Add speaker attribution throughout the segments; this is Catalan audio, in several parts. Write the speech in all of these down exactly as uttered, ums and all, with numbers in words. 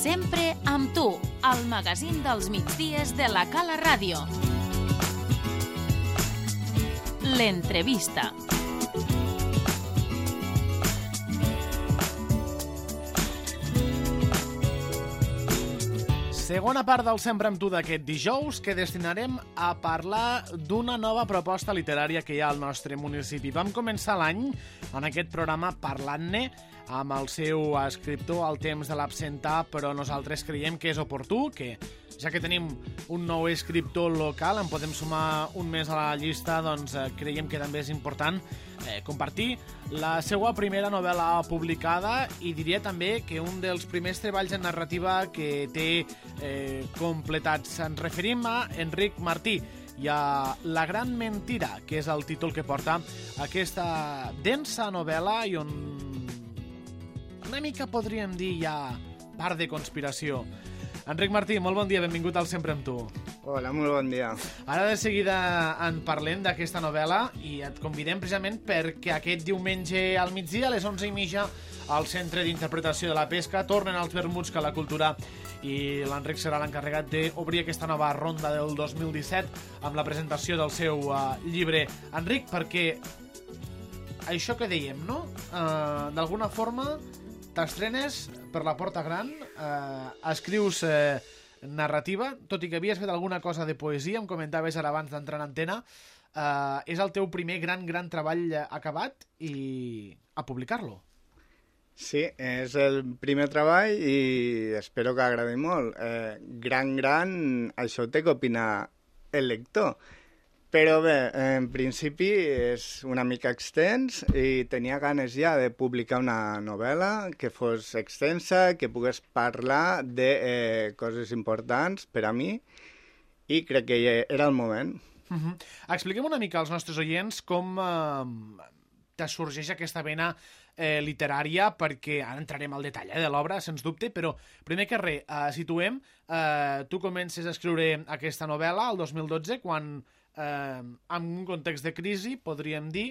Speaker 1: Sempre amb tu, al magazín dels migdies de la Cala Ràdio. L'entrevista.
Speaker 2: Segona part del Sempre amb tu d'aquest dijous, que destinarem a parlar d'una nova proposta literària que hi ha al nostre municipi. Vam començar l'any en aquest programa parlant-ne amb el seu escriptor al temps de l'absentar, però nosaltres creiem que és oportú, que ja que tenim un nou escriptor local, en podem sumar un més a la llista, doncs eh, creiem que també és important eh, compartir la seva primera novel·la publicada, i diria també que un dels primers treballs en narrativa que té eh, completats. Ens referim a Enric Martí i a La gran mentira, que és el títol que porta aquesta densa novel·la i on una mica podríem dir ja part de conspiració. Enric Martí, molt bon dia, benvingut al Sempre amb tu.
Speaker 3: Hola, molt bon dia.
Speaker 2: Ara de seguida en parlem d'aquesta novel·la i et convidem precisament perquè aquest diumenge al migdia, a les onze i mitja, al Centre d'Interpretació de la Pesca, tornen els vermuts que la cultura, i l'Enric serà l'encarregat d'obrir aquesta nova ronda del dos mil disset amb la presentació del seu uh, llibre. Enric, perquè això que dèiem, no? Uh, d'alguna forma t'estrenes per la porta gran, eh, escrius eh, narrativa, tot i que havies fet alguna cosa de poesia, em comentaves ara abans d'entrar en antena, eh, és el teu primer gran, gran treball acabat i a publicar-lo.
Speaker 3: Sí, és el primer treball i espero que agradi molt. Eh, gran, gran, això té que opinar el lector. Però bé, en principi és una mica extens i tenia ganes ja de publicar una novel·la que fos extensa, que pogués parlar de eh, coses importants per a mi, i crec que era el moment.
Speaker 2: Uh-huh. Expliquem una mica als nostres oients com eh, te sorgeix aquesta vena eh, literària, perquè ara entrarem al detall eh, de l'obra, sens dubte, però primer que res, eh, situem, eh, tu comences a escriure aquesta novel·la el dos mil dotze, quan Eh, en un context de crisi, podríem dir,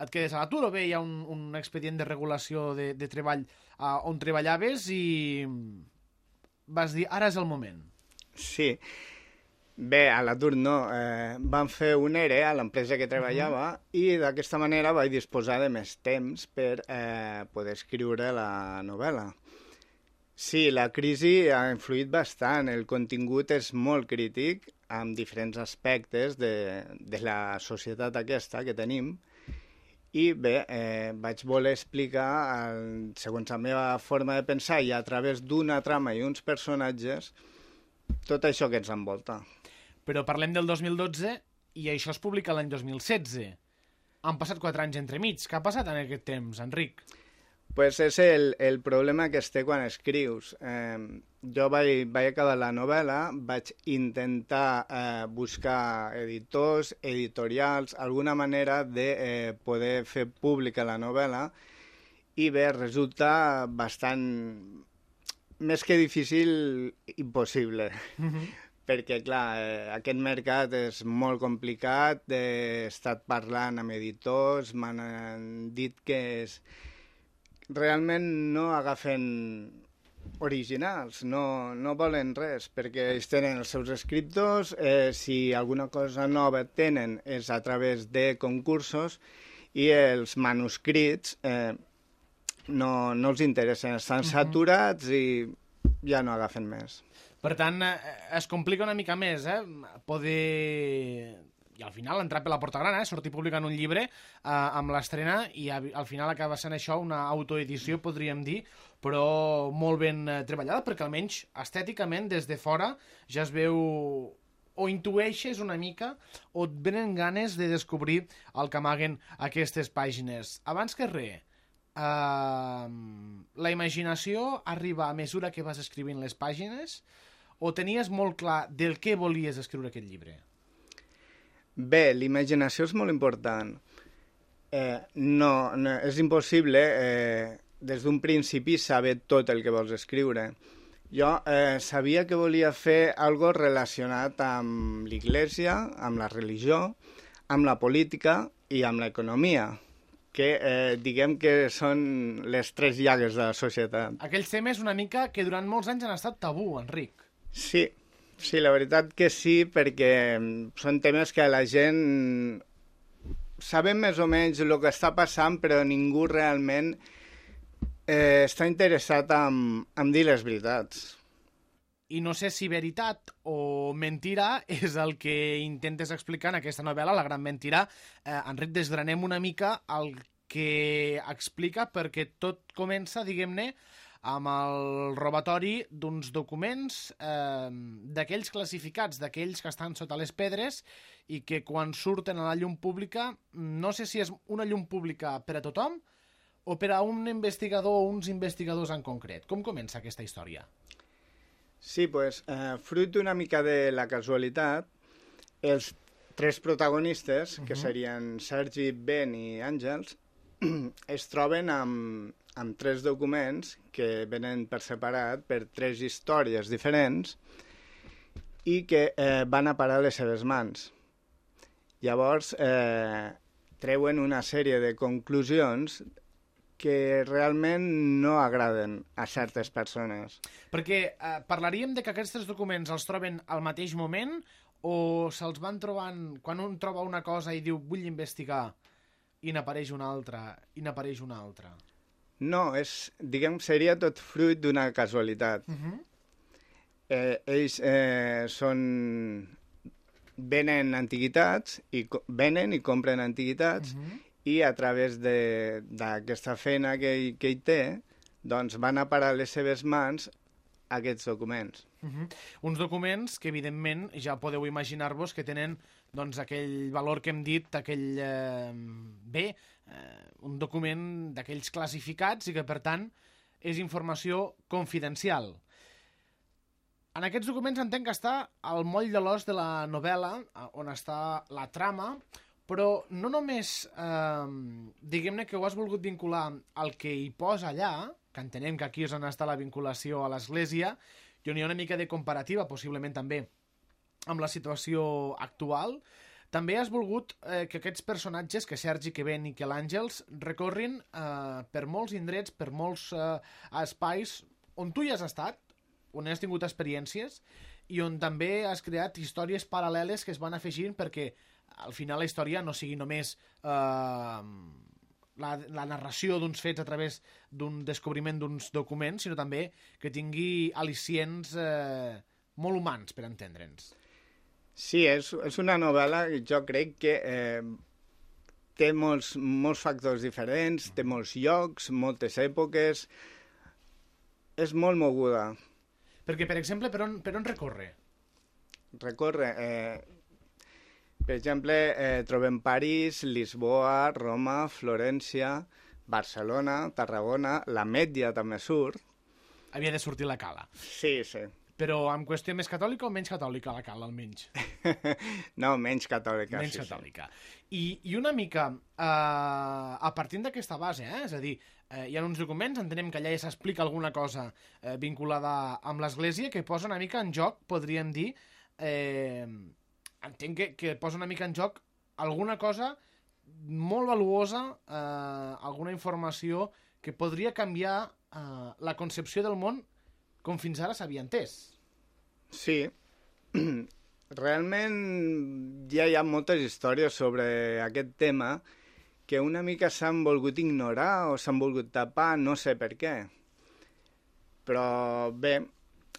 Speaker 2: et quedes a l'atur o bé hi ha un, un expedient de regulació de, de treball eh, on treballaves i vas dir, ara és el moment.
Speaker 3: Sí. Bé, a l'atur no. Eh, van fer un E R E a l'empresa que treballava uh-huh. i d'aquesta manera vaig disposar de més temps per eh, poder escriure la novel·la. Sí, la crisi ha influït bastant. El contingut és molt crític amb diferents aspectes de, de la societat aquesta que tenim, i bé, eh, vaig voler explicar, el, segons la meva forma de pensar i a través d'una trama i uns personatges, tot això que ens envolta.
Speaker 2: Però parlem del dos mil dotze i això es publica l'any dos mil setze. Han passat quatre anys entremig. Què ha passat en aquest temps, Enric?
Speaker 3: Pues és el, el problema que es té quan escrius. Eh, jo vaig, vaig acabar la novel·la, vaig intentar eh, buscar editors, editorials, alguna manera de eh, poder fer pública la novel·la, i bé, resulta bastant, més que difícil, impossible. Mm-hmm. Perquè, clar, eh, aquest mercat és molt complicat, he estat parlant amb editors, m'han dit que és... realment no agafen originals, no, no volen res, perquè ells tenen els seus escriptors, eh, si alguna cosa nova tenen és a través de concursos, i els manuscrits eh, no, no els interessen, estan saturats i ja no agafen més.
Speaker 2: Per tant, eh, es complica una mica més, eh? Poder... I al final entrar per la porta gran, eh? Sortir publicant un llibre eh, amb l'estrena, i a, al final acaba sent això una autoedició, podríem dir, però molt ben eh, treballada, perquè almenys estèticament des de fora ja es veu o intueixes una mica o et venen ganes de descobrir el que amaguen aquestes pàgines. Abans que res, eh, la imaginació arriba a mesura que vas escrivint les pàgines o tenies molt clar del què volies escriure aquest llibre?
Speaker 3: Bé, l'imaginació és molt important. Eh, no, no, és impossible eh, des d'un principi saber tot el que vols escriure. Jo eh, sabia que volia fer algo relacionat amb l'Església, amb la religió, amb la política i amb l'economia. que eh, diguem que són les tres llagues de la societat.
Speaker 2: Aquells temes una mica que durant molts anys han estat tabú, Enric.
Speaker 3: Sí, sí, la veritat que sí, perquè són temes que la gent sabem més o menys el que està passant, però ningú realment eh, està interessat en, en dir les veritats.
Speaker 2: I no sé si veritat o mentira és el que intentes explicar en aquesta novel·la, La gran mentira. Eh, Enric, desgranem una mica el que explica, perquè tot comença, diguem-ne, amb el robatori d'uns documents eh, d'aquells classificats, d'aquells que estan sota les pedres i que quan surten a la llum pública, no sé si és una llum pública per a tothom o per a un investigador o uns investigadors en concret. Com comença aquesta història?
Speaker 3: Sí, pues, eh, fruit una mica de la casualitat, els tres protagonistes, uh-huh. que serien Sergi, Ben i Àngels, es troben amb, amb tres documents que venen per separat per tres històries diferents i que eh, van a parar a les seves mans. Llavors, eh, treuen una sèrie de conclusions que realment no agraden a certes persones.
Speaker 2: Perquè eh, parlaríem de que aquests tres documents els troben al mateix moment o se'ls van trobant quan un troba una cosa i diu vull investigar i n'apareix una altra i n'apareix una altra?
Speaker 3: No, és, diguem, seria tot fruit d'una casualitat. Uh-huh. eh, ells eh, són... venen antiguitats, i venen i compren antiguitats, uh-huh. i a través d'aquesta feina que ell, que ell té, doncs van a parar a les seves mans aquests documents.
Speaker 2: Uh-huh. Uns documents que, evidentment, ja podeu imaginar-vos que tenen doncs, aquell valor que hem dit, aquell... Eh, bé, eh, un document d'aquells classificats i que, per tant, és informació confidencial. En aquests documents entenc que està al moll de l'os de la novel·la, on està la trama, però no només, eh, diguem-ne que ho has volgut vincular al que hi posa allà, que entenem que aquí és on està la vinculació a l'Església, i on hi ha una mica de comparativa, possiblement també, amb la situació actual. També has volgut eh, que aquests personatges, que Sergi, que Ben i que l'Àngels, recorrin eh, per molts indrets, per molts eh, espais on tu hi has estat, on has tingut experiències, i on també has creat històries paral·leles que es van afegint perquè al final la història no sigui només eh, la, la narració d'uns fets a través d'un descobriment d'uns documents, sinó també que tingui al·licients eh, molt humans, per entendre'ns.
Speaker 3: Sí, és, és una novel·la que jo crec que eh, té molts, molts factors diferents, té molts llocs, moltes èpoques, és molt moguda.
Speaker 2: Perquè, per exemple, per on, per on recorre?
Speaker 3: Recorre... Eh, per exemple, eh, trobem París, Lisboa, Roma, Florència, Barcelona, Tarragona, la Mèdia també surt.
Speaker 2: Havia de sortir la Cala.
Speaker 3: Sí, sí.
Speaker 2: Però amb qüestió més catòlica o menys catòlica la Cala, almenys?
Speaker 3: No, menys catòlica.
Speaker 2: Menys
Speaker 3: sí,
Speaker 2: catòlica. Sí. I, I una mica, eh, a partir d'aquesta base, eh, és a dir, eh, hi ha uns documents, entenem que allà ja s'explica alguna cosa eh, vinculada amb l'Església que posa una mica en joc, podríem dir, eh, entenc que, que posa una mica en joc alguna cosa molt valuosa, eh, alguna informació que podria canviar eh, la concepció del món com fins ara s'havia entès.
Speaker 3: Sí. Realment ja hi ha moltes històries sobre aquest tema que una mica s'han volgut ignorar o s'han volgut tapar, no sé per què. Però bé,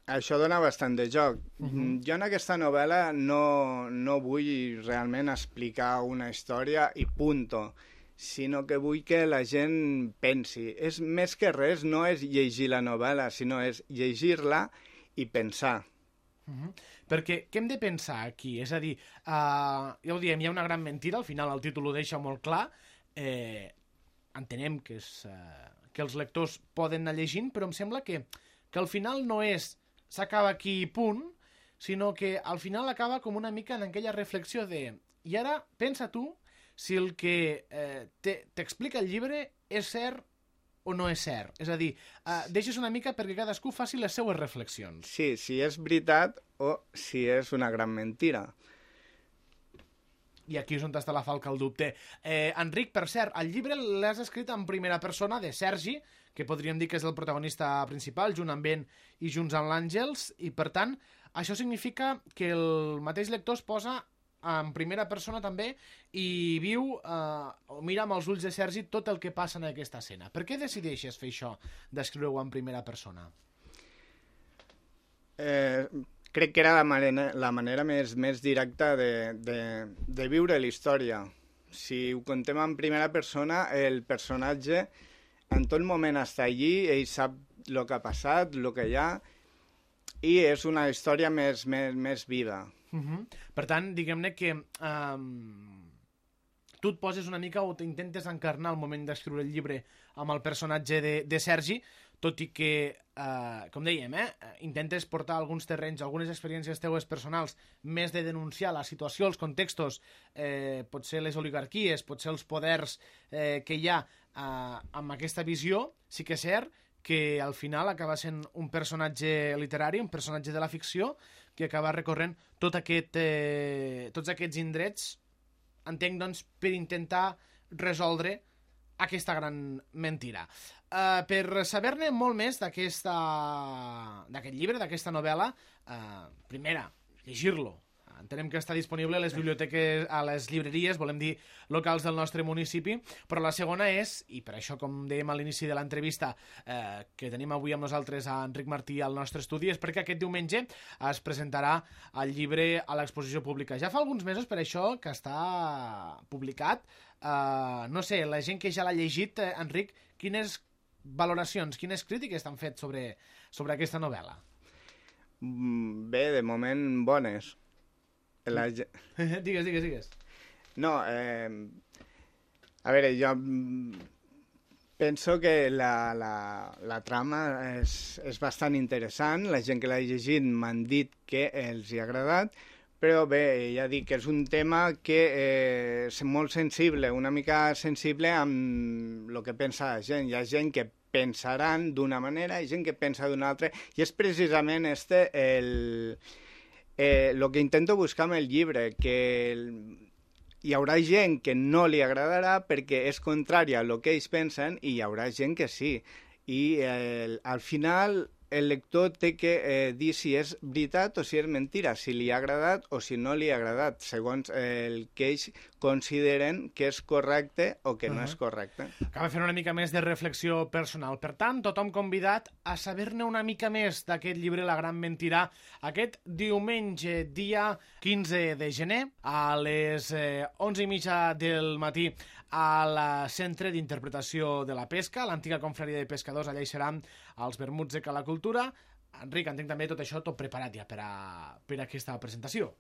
Speaker 3: això dona bastant de joc. Uh-huh. Jo en aquesta novel·la no, no vull realment explicar una història i punto, sinó que vull que la gent pensi. És més que res, no és llegir la novel·la, sinó és llegir-la i pensar.
Speaker 2: Uh-huh. Perquè què hem de pensar aquí? És a dir, uh, ja ho diem, hi ha una gran mentira, al final el títol ho deixa molt clar, eh, entenem que, és, uh, que els lectors poden anar llegint, però em sembla que, que al final no és s'acaba aquí i punt, sinó que al final acaba com una mica en aquella reflexió de i ara pensa tu si el que eh, t'explica el llibre és cert o no és cert. És a dir, eh, deixes una mica perquè cadascú faci les seues reflexions.
Speaker 3: Sí, si és veritat o si és una gran mentira.
Speaker 2: I aquí és on està la falca el dubte. Eh, Enric, per cert, el llibre l'has escrit en primera persona de Sergi, que podríem dir que és el protagonista principal, junt amb ell i junts amb l'Àngels, i per tant, això significa que el mateix lector es posa en primera persona també i viu eh, o mira amb els ulls de Sergi tot el que passa en aquesta escena. Per què decideixes fer això, d'escriure-ho en primera persona?
Speaker 3: Eh, crec que era la manera, la manera més, més directa de, de, de viure la història. Si ho contem en primera persona, el personatge en tot moment està allí, ell sap el que ha passat, el que hi ha, i és una història més, més, més viva.
Speaker 2: Uh-huh. Per tant, diguem-ne que um, tu et poses una mica o t'intentes encarnar al moment d'escriure el llibre amb el personatge de, de Sergi, tot i que, uh, com dèiem, eh, intentes portar alguns terrenys, algunes experiències teues personals, més de denunciar la situació, els contextos, eh, potser les oligarquies, potser els poders eh, que hi ha uh, amb aquesta visió. Sí que és cert que al final acaba sent un personatge literari, un personatge de la ficció, que acaba recorrent tot aquest, eh, tots aquests indrets, entenc, doncs, per intentar resoldre aquesta gran mentira. Uh, per saber-ne molt més d'aquest llibre, d'aquesta novel·la, uh, primera, llegir-lo. Entenem que està disponible a les biblioteques, a les llibreries, volem dir, locals del nostre municipi, però la segona és, i per això, com dèiem a l'inici de l'entrevista, eh, que tenim avui amb nosaltres a Enric Martí al nostre estudi, és perquè aquest diumenge es presentarà el llibre a l'exposició pública. Ja fa alguns mesos, per això, que està publicat. Eh, no sé, la gent que ja l'ha llegit, eh, Enric, quines valoracions, quines crítiques t'han fet sobre, sobre aquesta novel·la?
Speaker 3: Bé, de moment, bones. La...
Speaker 2: digues, digues, digues.
Speaker 3: No, eh, a veure, jo penso que la, la, la trama és, és bastant interessant. La gent que l'ha llegit m'han dit que els hi ha agradat, però bé, ja dic que és un tema que eh, és molt sensible, una mica sensible amb el que pensa la gent. Hi ha gent que pensaran d'una manera i gent que pensa d'una altra, i és precisament este el... Eh, lo que intento buscar amb el llibre, que el... hi haurà gent que no li agradarà perquè és contrària a lo que ells pensen, i hi haurà gent que sí. I eh, al final el lector té que eh, dir si és veritat o si és mentira, si li ha agradat o si no li ha agradat, segons el que ells consideren que és correcte o que uh-huh. no és correcte.
Speaker 2: Acaba fent una mica més de reflexió personal. Per tant, tothom convidat a saber-ne una mica més d'aquest llibre La gran mentira aquest diumenge, dia quinze de gener, a les eh, onze i mitja del matí, al Centre d'Interpretació de la Pesca, l'antiga confraria de pescadors. Allà hi seran els vermuts de Cala Cultura. Enric, entenc també tot això tot preparat ja per a, per a aquesta presentació.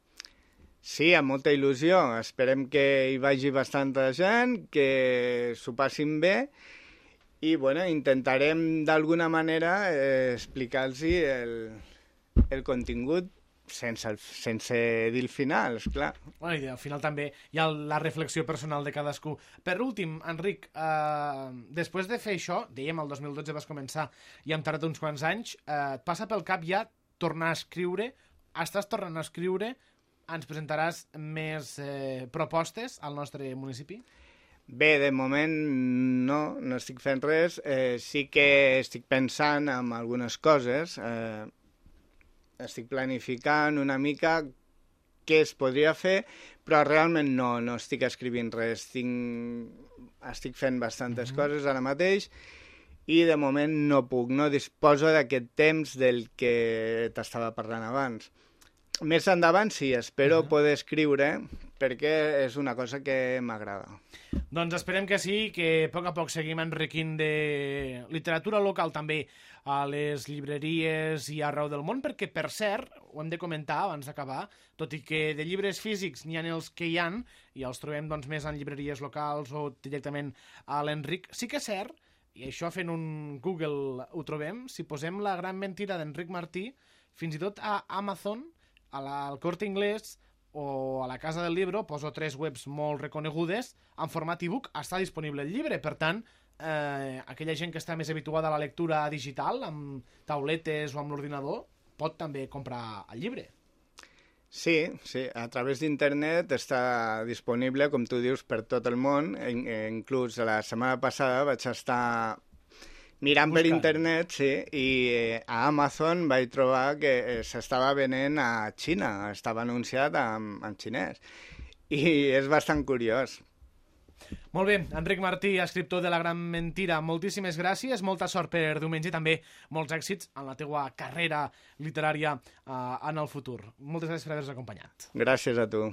Speaker 3: Sí, amb molta il·lusió. Esperem que hi vagi bastanta gent, que s'ho passin bé, i bueno, intentarem d'alguna manera eh, explicar-los el, el contingut sense, el, sense dir el final, esclar.
Speaker 2: Bueno, i al final també hi ha la reflexió personal de cadascú. Per últim, Enric, eh, després de fer això, dèiem el dos mil dotze vas començar i hem tardat uns quants anys, eh, et passa pel cap ja tornar a escriure? Estàs tornant a escriure? Ens presentaràs més eh, propostes al nostre municipi?
Speaker 3: Bé, de moment no, no estic fent res. Eh, sí que estic pensant en algunes coses. Eh, estic planificant una mica què es podria fer, però realment no, no estic escrivint res. Estic, estic fent bastantes mm-hmm. coses ara mateix i de moment no puc, no disposo d'aquest temps del que t'estava parlant abans. Més endavant sí, espero uh-huh. poder escriure, perquè és una cosa que m'agrada.
Speaker 2: Doncs esperem que sí, que a poc a poc seguim enriquint de literatura local també a les llibreries i arreu del món, perquè, per cert, ho hem de comentar abans d'acabar, tot i que de llibres físics n'hi ha els que hi han, i els trobem doncs, més en llibreries locals o directament a l'Enric, sí que és cert, i això fent un Google ho trobem, si posem La gran mentira d'Enric Martí, fins i tot a Amazon, a la, al Corte Inglés o a la Casa del Libro, poso tres webs molt reconegudes, en format e-book està disponible el llibre. Per tant, eh, aquella gent que està més habituada a la lectura digital, amb tauletes o amb l'ordinador, pot també comprar el llibre.
Speaker 3: Sí, sí, a través d'internet està disponible, com tu dius, per tot el món. Inclús la setmana passada vaig estar mirant Buscant. per internet, sí, i a Amazon vaig trobar que s'estava venent a Xina, estava anunciat en, en xinès. I és bastant curiós.
Speaker 2: Molt bé, Enric Martí, escriptor de La gran mentira, moltíssimes gràcies, molta sort per diumenge i també molts èxits en la teua carrera literària eh, en el futur. Moltes gràcies per haver-nos acompanyat.
Speaker 3: Gràcies a tu.